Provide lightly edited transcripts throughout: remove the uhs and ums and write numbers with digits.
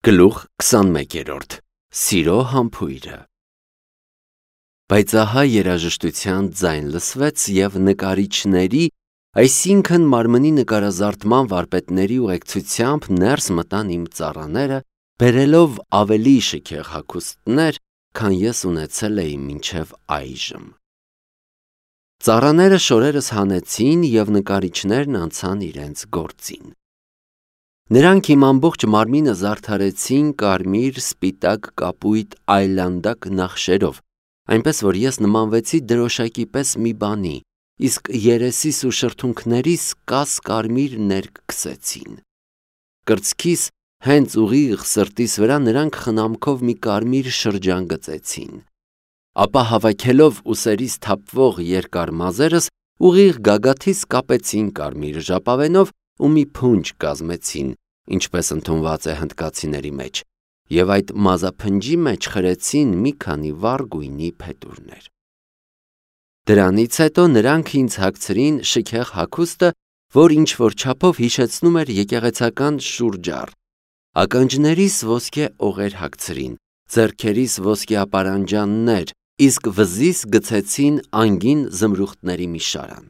Գլուխ 21-րդ Սիրո համբույրը Բայց ահա երաժշտության ձայն լսվեց և նկարիչների, այսինքն մարմնի նկարազարդման վարպետների ուղեկցությամբ ներս մտան իմ ծառաները, բերելով ավելի շքեղ հագուստներ, քան ես ունեցել էի մինչև այժմ։ Ծառաները շորերս հանեցին և նկարիչներն անցան իրենց գործին։ Նրանք իմ ամբողջ մարմինը զարդարեցին կարմիր, սպիտակ, կապույտ, այլանդակ նախշերով, այնպես որ ես նմանվեցի դրոշակի պես մի բանի, իսկ երեսիս ու շրթունքներիս կաս կարմիր ներկ քսեցին։ Կրծքիս հենց ուղիղ սրտիս վրա նրանք խնամքով մի կարմիր շրջան գծեցին, ապա հավաքելով ուսերիս թափվող երկար մազերս, ուղիղ գագաթիս կապեցին կարմիր ժապավենով ու մի փունջ կազմեցին, ինչպես ընդունված է հնդկացիների մեջ, և այդ մազափնջի մեջ խրեցին մի քանի վառ գույնի փետուրներ։ Դրանից հետո նրանք ինձ հագցրին շքեղ հագուստը, որ ինչ-որ չափով հիշեցնում էր եկեղեցական շուրջառ, ականջներիս ոսկե օղեր հագցրին, ձեռքերիս ոսկե ապարանջաններ, իսկ վզիս գցեցին անգին զմրուխտների մի շարան։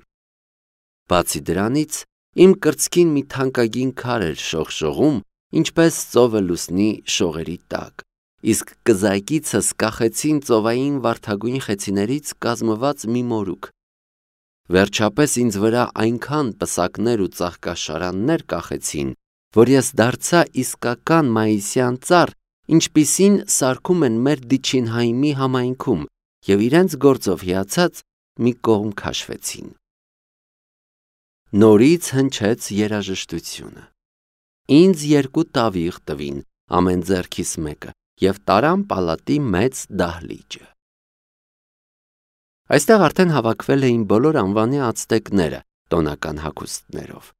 Բացի դրանից, իմ կրծքին մի թանկագին քար էր շողշողում, ինչպես ծովը լուսնի շողերի տակ, իսկ կզակիցս կախեցին ծովային վարդագույն խեցիներից կազմված մի մորուք։ Վերջապես ինձ վրա այնքան պսակներ ու ծաղկաշարաններ կախեցին, որ ես դարձա իսկական մայիսյան ծառ, ինչպիսին սարքում են մեր Դիչինհայմի համայնքում, և իրենց գործով հիացած մի կողմ քաշվեցին։ Նորից հնչեց երաժշտությունը։ Ինձ 2 տավիղ տվին, ամեն ձեռքիս մեկը, և տարան պալատի մեծ դահլիճը։ Այստեղ արդեն հավաքվել էին բոլոր անվանի ացտեկները տոնական հագուստներով։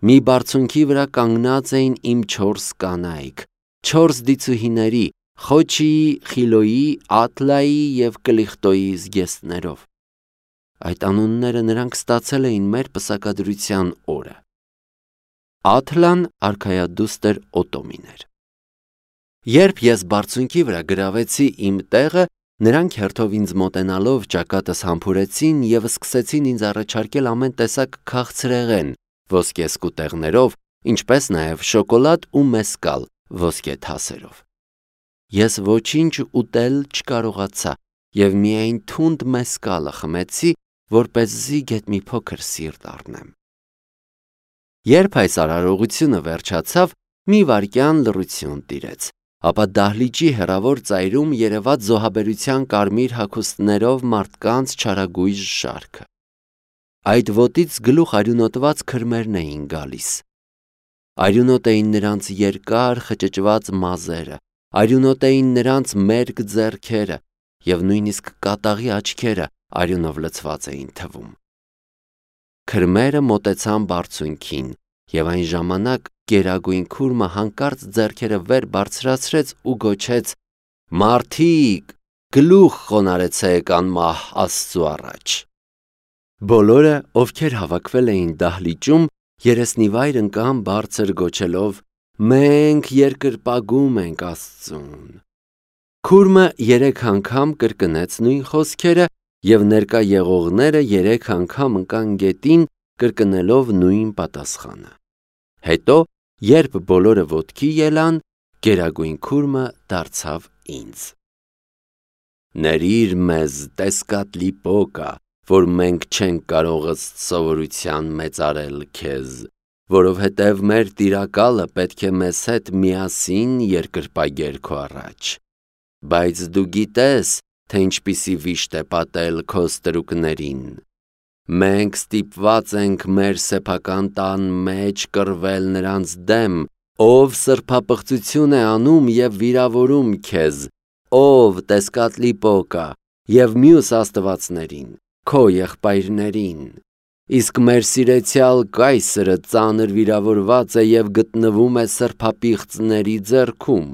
Մի բարձունքի վրա կանգնած էին իմ 4 կանայք, 4 դիցուհիների, Խոչիի, Խիլոյի, Ատլայի և Կլիխտոյի զգեստներով։ Այդ անունները նրանք ստացել էին մեր պսակադրության օրը։ Աթլան արքայադուստր Օտոմին էր։ Երբ ես բարձունքի վրա գրավեցի իմ տեղը, նրանք հերթով ինձ մոտենալով ճակատս համբուրեցին և սկսեցին ինձ առաջարկել ամեն տեսակ քաղցրեղեն ոսկե սկուտեղներով, ինչպես նաև շոկոլադ ու մեսկալ ոսկե թասերով։ Ես ոչինչ ուտել չկարողացա և միայն թունդ մեսկալը խմեցի, որպեսզի գեթ մի փոքր սիրտ առնեմ։ Երբ այս արարողությունը վերջացավ, մի վայրկյան լռություն տիրեց, ապա դահլիճի հեռավոր ծայրում երևաց զոհաբերության կարմիր հագուստներով մարդկանց չարագույժ շարքը։ Այդ ոտից գլուխ արյունոտված քրմերն էին գալիս։ Արյունոտ էին նրանց երկար խճճված մազերը, արյունոտ էին նրանց մերկ ձեռքերը, և նույնիսկ կատաղի աչքերը արյունով լցված էին թվում։ Քրմերը մոտեցան բարձունքին, և այն ժամանակ գերագույն քուրմը հանկարծ ձեռքերը վեր բարձրացրեց ու գոչեց. «Մարդիկ, գլուխ խոնարհեցեք անմահ Աստծու առաջ»։ Բոլորը, ովքեր հավաքվել էին դահլիճում, երեսնիվայր ընկան բարձր գոչելով. «Մենք երկրպագում ենք Աստծուն»։ Քուրմը 3 անգամ կրկնեց նույն խոսքերը, և ներկա եղողները 3 անգամ ընկան գետին, կրկնելով նույն պատասխանը։ Հետո, երբ բոլորը ոտքի ելան, գերագույն քուրմը դարձավ ինձ. «Ներիր մեզ, Տեսկատլի Պոկա, որ մենք չենք կարող ըստ սովորության մեծարել քեզ, որովհետև մեր տիրակալը պետք է մեզ հետ միասին երկրպագեր քո առաջ։ Բայց դու գիտես, թե ինչպիսի վիշտ է պատել քո ստրուկներին։ Մենք ստիպված ենք մեր սեփական տան մեջ կռվել նրանց դեմ, ով սրբապղծություն է անում և վիրավորում քեզ, ով Տեսկատլի Պոկա, և մյուս աստվածներին, քո եղբայրներին։ Իսկ մեր սիրեցյալ կայսրը ծանր վիրավորված է և գտնվում է սրբապիղծների ձեռքում։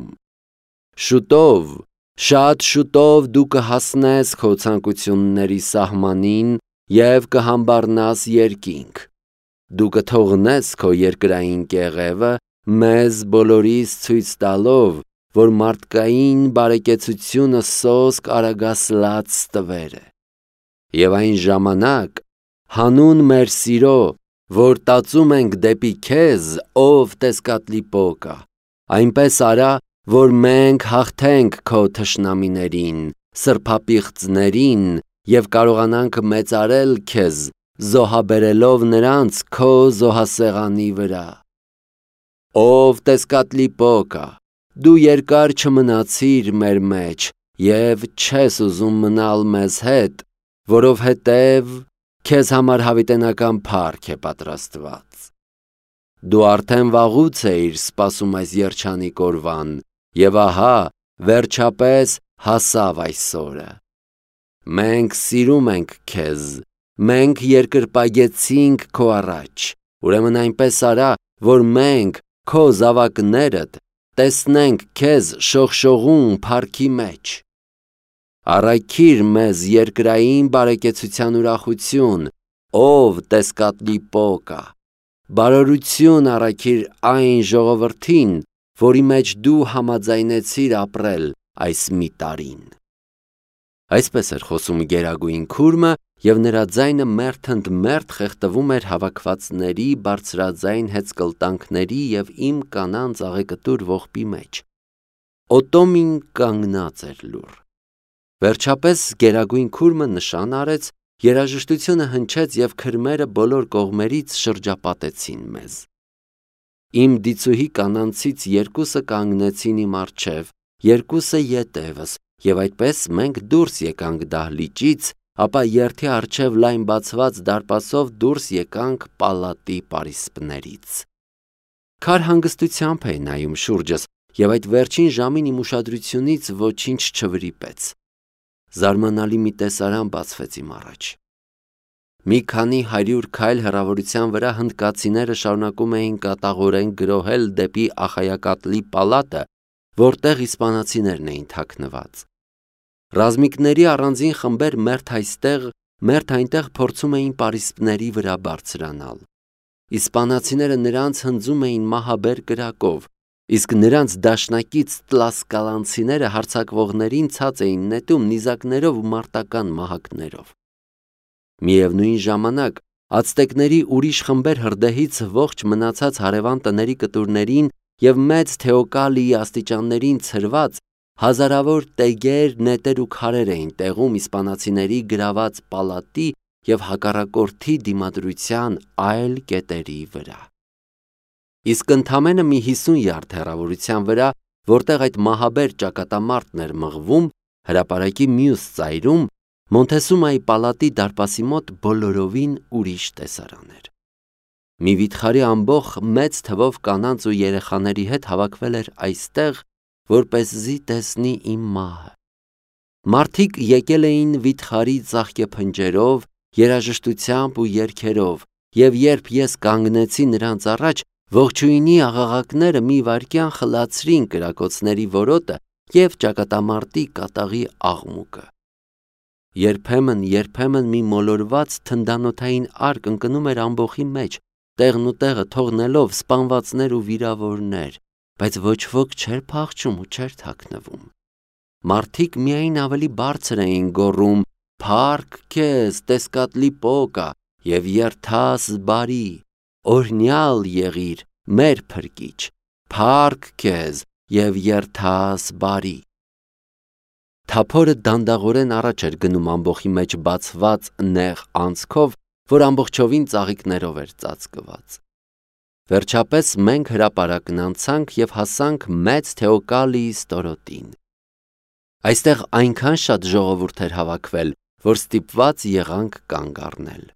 Շուտով, շատ շուտով դու կհասնես քո ցանկությունների սահմանին և կհամբառնաս երկինք։ Դու կթողնես քո երկրային կեղևը, մեզ բոլորիս ցույց տալով, որ մարդկային բարեկեցությունը սոսկ արագասլաց տվեր է։ Եվ այն ժամանակ, հանուն մեր սիրո, որ տածում ենք դեպի քեզ, ով տեսկատլիպոկա, այնպես արա, որ մենք հաղթենք քո թշնամիներին, սրբապիղծներին և կարողանանք մեծարել քեզ, զոհաբերելով նրանց քո զոհասեղանի վրա։ Ով տեսկատլիպոկա, դու երկար չմնացիր մեր մեջ և չես ուզում մնալ մեզ հետ, որովհետև քեզ համար հավիտենական փառք է պատրաստված։ Դու արդեն վաղուց էիր սպասում այս երջանիկ օրվան, և ահա, վերջապես հասավ այս օրը։ Մենք սիրում ենք քեզ, մենք երկրպագեցինք քո առաջ, ուրեմն այնպես արա, որ մենք, քո զավակներդ, տեսնենք քեզ շողշողուն փառքի մեջ։ Առաքիր մեզ երկրային բարեկեցության ուրախություն, ով տեսկատլիպոկա, բարօրություն առաքիր այն ժողովրդին, որի մեջ դու համաձայնեցիր ապրել այս մի տարին։ Այսպես էր խոսում գերագույն քուրմը, և նրա ձայնը մերթընդմերթ խեղդվում էր հավաքվածների բարձրաձայն հեծկլտանքների և իմ կանանց աղեկտուր ողբի մեջ։ Օտոմին կանգնած էր լուռ։ Վերջապես գերագույն քուրմը նշան արեց, երաժշտությունը հնչեց և քրմերը բոլոր կողմերից շրջապատեցին մեզ։ Իմ դիցուհի կանանցից երկուսը կանգնեցին իմ առջև, երկուսը ետևս, և այդպես մենք դուրս եկանք դահլիճից, ապա երթի առջև լայն բացված դարպասով դուրս եկանք պալատի պարիսպներից։ Քար հանգստությամբ էի նայում շուրջս, և այդ վերջին ժամին իմ ուշադրությունից ոչինչ չվրիպեց։ Զարմանալի մի տեսարան բացվեց իմ առաջ։ Մի քանի 100 քայլ հեռավորության վրա հնդկացիները շարունակում էին կատաղորեն գրոհել դեպի Ախայակատլի պալատը, որտեղ իսպանացիներն էին թաքնված։ Ռազմիկների առանձին խմբեր մերթ այստեղ, մերթ այնտեղ փորձում էին պարիսպների վրա բարձրանալ։ Իսպանացիները նրանց հնձում էին մահաբեր կրակով, իսկ նրանց դաշնակից տլասկալանցիները հարձակվողներին ցած էին նետում նիզակներով ու մարտական մահակներով։ Միևնույն ժամանակ ացտեկների ուրիշ խմբեր հրդեհից ողջ մնացած հարևան տների կտուրներին և մեծ Թեոկալիի աստիճաններին ցրված հազարավոր տեգեր, նետեր ու քարեր էին տեղում իսպանացիների գրաված պալատի և հակառակորդի դիմադրության այլ կետերի վրա։ Իսկ ընդամենը մի 50 յարդ հեռավորության վրա, որտեղ այդ մահաբեր ճակատամարտն էր մղվում, հրապարակի մյուս ծայրում, Մոնթեսումայի պալատի դարպասի մոտ բոլորովին ուրիշ տեսարան էր։ Մի վիթխարի ամբոխ մեծ թվով կանանց ու երեխաների հետ հավաքվել էր այստեղ, որպեսզի տեսնի իմ մահը։ Մարդիկ եկել էին վիթխարի ծաղկե փնջերով, երաժշտությամբ ու երգերով, և երբ ես կանգնեցի նրանց առաջ, ողջույնի աղաղակները մի վայրկյան խլացրին կրակոցների որոտը և ճակատամարտի կատաղի աղմուկը։ Երբեմն մի մոլորված թնդանոթային արկ ընկնում էր ամբոխի մեջ, տեղն ու տեղը թողնելով սպանվածներ ու վիրավորներ, բայց ոչ ոք չէր փախչում ու չէր թաքնվում։ Մարդիկ միայն ավելի բարձր էին գոռում. «Փառք քեզ, տեսկատլիպոկա, և երթաս բարի, օրհնյալ եղիր, մեր փրկիչ, փառք քեզ և երթաս բարի»։ Թափորը դանդաղորեն առաջ էր գնում ամբոխի մեջ բացված նեղ անցքով, որ ամբողջովին ծաղիկներով էր ծածկված։ Վերջապես մենք հրապարակն անցանք և հասանք մեծ Թեոկալիի ստորոտին։ Այստեղ այնքան շատ ժողովուրդ էր հավաքվել, որ ստիպված եղանք կանգ առնել։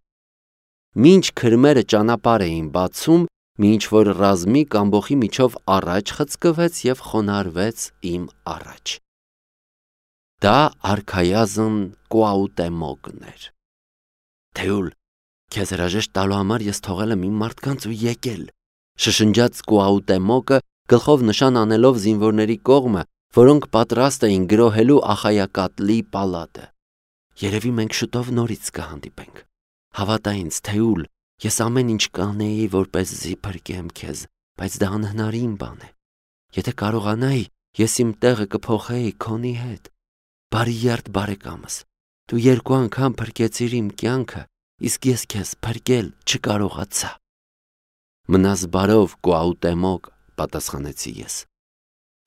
Մինչ քրմերը ճանապարհ էին բացում, մի ինչ-որ ռազմիկ ամբոխի միջով առաջ խցկվեց և խոնարհվեց իմ առաջ։ Դա արքայազն Կուաուտեմոկն էր։ «Թեուլ, քեզ հրաժեշտ տալու համար ես թողել եմ իմ մարդկանց ու եկել», շշնջաց Կուաուտեմոկը, գլխով նշան անելով զինվորների կողմը, որոնք պատրաստ էին գրոհելու Ախայակատլի պալատը։ «Երևի մենք շուտով նորից կհանդիպենք։ Հավատա ինձ, Թեուլ, ես ամեն ինչ կանեի, որպեսզի փրկեմ քեզ, բայց դա անհնարին բան է։ Եթե կարողանայի, ես իմ տեղը կփոխեի քոնի հետ։ Բարի երդ բարեկամս, դու 2 անգամ փրկեցիր իմ կյանքը, իսկ ես քեզ փրկել չկարողացա։ Մնաս բարով, Կուաուտեմոկ, պատասխանեցի ես։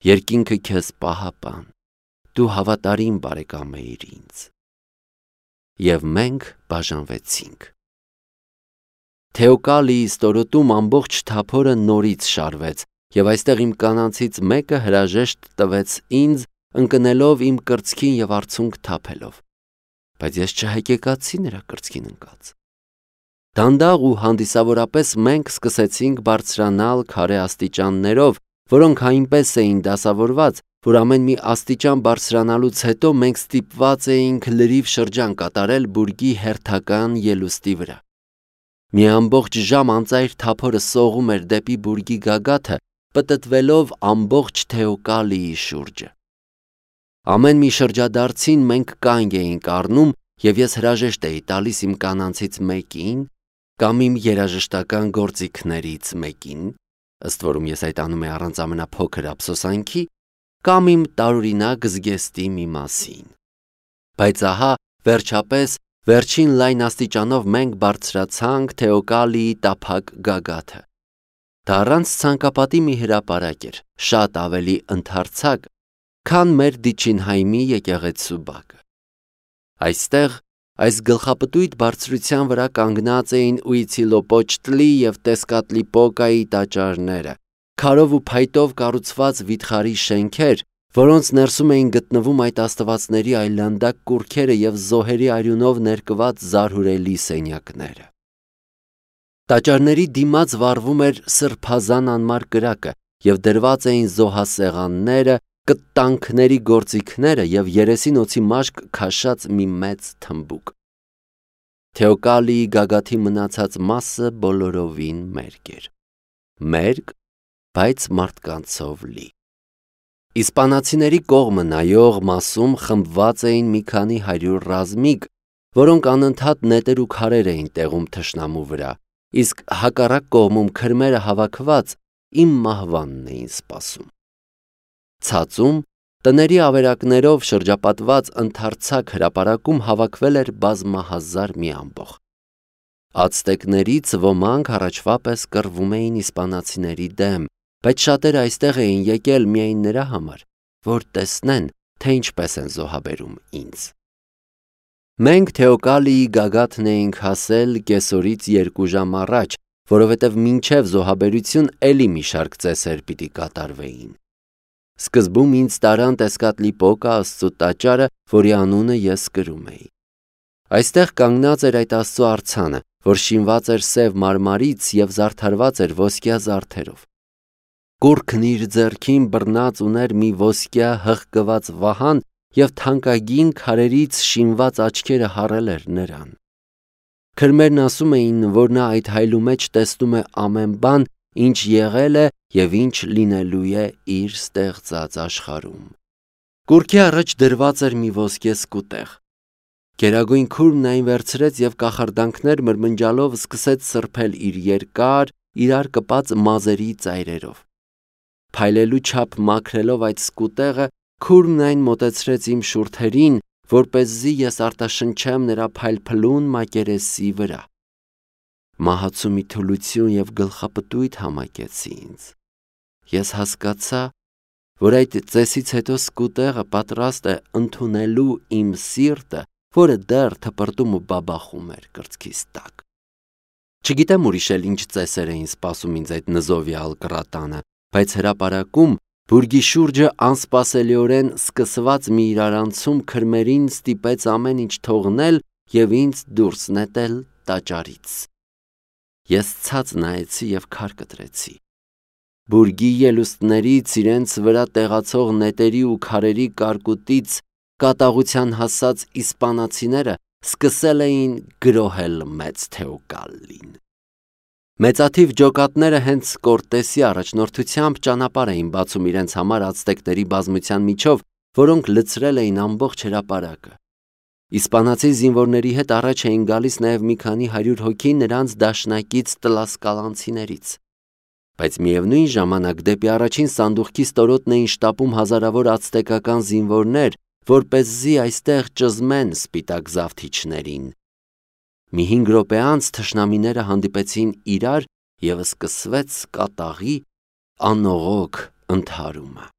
Երկինքը քեզ պահապան, դու հավատարիմ բարեկամ էիր ինձ։ Եվ մենք բաժանվեցինք։ Թեոկալիի ստորոտում ամբողջ թափորը նորից շարվեց, եւ այստեղ իմ կանանցից մեկը հրաժեշտ տվեց ինձ, ընկնելով իմ կրծքին եւ արցունք թափելով, բայց ես չհեկեկացի նրա կրծքին ընկած։ Դանդաղ ու հանդիսավորապես մենք սկսեցինք բարձրանալ քարե աստիճաններով, որոնք այնպես էին դասավորված, որ ամեն մի աստիճան բարձրանալուց հետո մենք ստիպված էինք լրիվ շրջան կատարել բուրգի հերթական ելուստի վրա։ Մի ամբողջ ժամ անծայր թափորը սողում էր դեպի բուրգի գագաթը, պտտվելով ամբողջ Թեոկալիի շուրջը։ Ամեն մի շրջադարձին մենք կանգ էինք առնում, եւ ես հրաժեշտ էի տալիս իմ կանանցից մեկին կամ իմ երաժշտական գործիքներից մեկին, ըստ որում ես այդ անում էի առանց ամենափոքր ափսոսանքի, կամ իմ տարօրինակ զգեստի մի մասին։ Բայց ահա, վերջապես, վերջին լայն աստիճանով մենք բարձրացանք Թեոկալիի տափակ գագաթը։ Դա առանց ցանկապատի մի հրապարակ էր, շատ ավելի ընդարձակ, քան մեր Դիչինհայմի եկեղեցու բակը։ Այստեղ, այս գլխապտույտ բարձրության վրա կանգնած էին Ուիցիլոպոչտլի և Տեսկատլիպոկայի տաճարները, քարով ու փայտով կառուցված վիթխարի շենքեր, որոնց ներսում էին գտնվում այդ աստվածների այլանդակ կուռքերը և զոհերի արյունով ներկված զարհուրելի սենյակները։ Տաճարների դիմաց վառվում էր սրբազան անմար կրակը և դրված էին զոհասեղանները, կտանքների գործիքները և երեսին օձի մաշկ քաշած մի մեծ թմբուկ։ Թեոկալիի գագաթի մնացած մասը բոլորովին մերկ էր։ Մերկ, բայց մարդկանցով լի։ Իսպանացիների կողմը նայող մասում խմբված էին մի քանի 100 ռազմիկ, որոնք անընդհատ նետեր ու քարեր էին տեղում թշնամու վրա, իսկ հակառակ կողմում քրմերը հավաքված իմ մահվանն էին սպասում։ Ցածում, տների ավերակներով շրջապատված ընդարձակ հրապարակում հավաքվել էր բազմահազար մի ամբոխ։ Ացտեկներից ոմանք առաջվա պես կռվում էին իսպանացիների դեմ, բայց շատերը այստեղ էին եկել միայն նրա համար, որ տեսնեն, թե ինչպես են զոհաբերում ինձ։ Մենք Թեոկալիի գագաթն էինք հասել կեսօրից 2 ժամ առաջ, որովհետև մինչև զոհաբերություն էլի մի շարք ծեսեր պիտի կատարվեին։ Սկզբում ինձ տարան Տեսկատլիպոկա Աստծու տաճարը, որի անունը ես կրում էի։ Այստեղ կանգնած էր այդ Աստծու արձանը, որ շինված էր սև մարմարից և զարդարված էր ոսկյա զարդերով։ Կուռքն իր ձեռքին բռնած ուներ մի ոսկյա հղկված վահան և թանկագին քարերից շինված աչքերը հառել էր նրան։ Քրմերն ասում էին, որ նա այդ հայլու մեջ տեսնում է ամեն բան, ինչ եղել է և ինչ լինելու է իր ստեղծած աշխարհում։ Կուռքի առաջ դրված էր մի ոսկե սկուտեղ։ Գերագույն քուրմն այն վերցրեց և կախարդանքներ մրմնջալով սկսեց սրբել իր երկար, իրար կպած մազերի ծայրերով։ Փայլելու չափ մաքրելով այդ սկուտեղը, քուրմն այն մոտեցրեց իմ շուրթերին, որպեսզի ես արտաշնչեմ նրա փայլփլուն մակերեսի վրա։ Մահացու մի թուլություն և գլխապտույտ համակեցի ինձ։ Ես հասկացա, որ այդ ծեսից հետո սկուտեղը պատրաստ է ընդունելու իմ սիրտը, որը դեռ թպրտում ու բաբախում էր կրծքիս տակ։ Չգիտեմ ուրիշ էլ ինչ ծեսեր էին սպասում ինձ այդ նզովյալ կռատանը, բայց հրապարակում բուրգի շուրջը անսպասելիորեն սկսված մի իրարանցում քրմերին ստիպեց ամեն ինչ թողնել և ինձ դուրս նետել տաճարից։ Ես ցած նայեցի և քար կտրեցի։ Բուրգի ելուստներից իրենց վրա տեղացող նետերի ու քարերի կարկուտից կատաղության հասած իսպանացիները սկսել էին գրոհել մեծ Թեոկալին։ Մեծաթիվ ջոկատները հենց Կորտեսի առաջնորդությամբ ճանապարհ էին բացում իրենց համար ացտեկների բազմության միջով, որոնք լցրել էին ամբողջ հրապարակը։ Իսպանացի զինվորների հետ առաջ էին գալիս նաև մի քանի 100 հոգի նրանց դաշնակից տլասկալանցիներից։ բայց միևնույն ժամանակ դեպի առաջին սանդուղքի ստորոտն էին շտապում հազարավոր ացտեկական զինվորներ, որպեսզի այստեղ ճզմեն սպիտակ զավթիչներին։ Մի 5 րոպե անց թշնամիները հանդիպեցին իրար և սկսվեց կատաղի անողոք ընդհարումը։